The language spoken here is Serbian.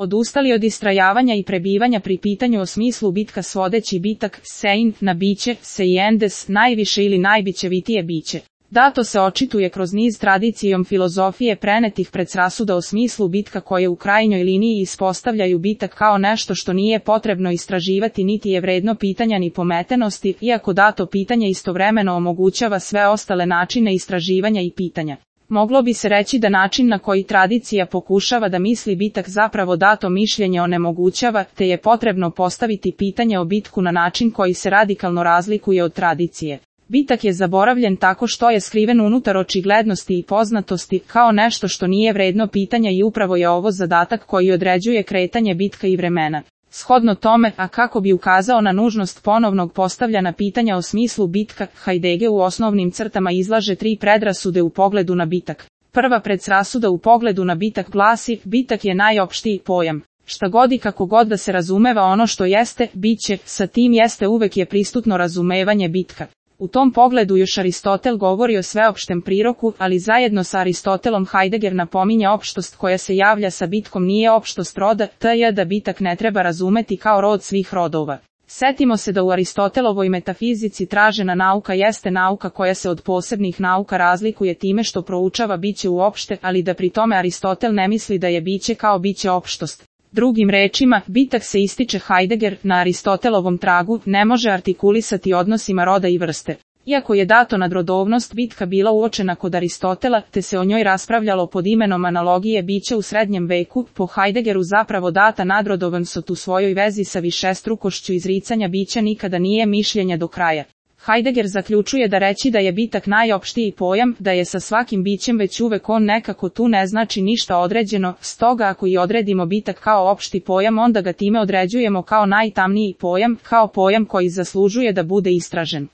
odustali od istrajavanja i prebivanja pri pitanju o smislu bitka svodeći bitak sein na biće, seiendes, najviše ili najbićevitije biće. Dato se očituje kroz niz tradicijom filozofije prenetih predrasuda o smislu bitka koje u krajnjoj liniji ispostavljaju bitak kao nešto što nije potrebno istraživati niti je vredno pitanja ni pometenosti, iako dato pitanje istovremeno omogućava sve ostale načine istraživanja i pitanja. Moglo bi se reći da način na koji tradicija pokušava da misli bitak zapravo dato mišljenje onemogućava, te je potrebno postaviti pitanje o bitku na način koji se radikalno razlikuje od tradicije. Bitak je zaboravljen tako što je skriven unutar očiglednosti i poznatosti, kao nešto što nije vredno pitanja i upravo je ovo zadatak koji određuje kretanje bitka i vremena. Shodno tome, a kako bi ukazao na nužnost ponovnog postavljanja pitanja o smislu bitka, Heidegger u osnovnim crtama izlaže 3 predrasude u pogledu na bitak. Prva predrasuda u pogledu na bitak glasi, bitak je najopštiji pojam. Šta god i kako god da se razumeva ono što jeste, biće, sa tim jeste uvek je prisutno razumevanje bitka. U tom pogledu još Aristotel govori o sveopštem priroku, ali zajedno sa Aristotelom Heidegger napominje opštost koja se javlja sa bitkom nije opštost roda, t.j. da bitak ne treba razumeti kao rod svih rodova. Setimo se da u Aristotelovoj metafizici tražena nauka jeste nauka koja se od posebnih nauka razlikuje time što proučava biće uopšte, ali da pri tome Aristotel ne misli da je biće kao biće opštost. Drugim rečima, bitak se ističe Heidegger, na Aristotelovom tragu, ne može artikulisati odnosima roda i vrste. Iako je dato nadrodovnost bitka bila uočena kod Aristotela, te se o njoj raspravljalo pod imenom analogije biće u srednjem veku, po Heideggeru zapravo data nadrodovnost u svojoj vezi sa višestrukošću izricanja bića nikada nije mišljenje do kraja. Heidegger zaključuje da reći da je bitak najopštiji pojam, da je sa svakim bićem već uvek on nekako tu ne znači ništa određeno, stoga ako i odredimo bitak kao opšti pojam onda ga time određujemo kao najtamniji pojam, kao pojam koji zaslužuje da bude istražen.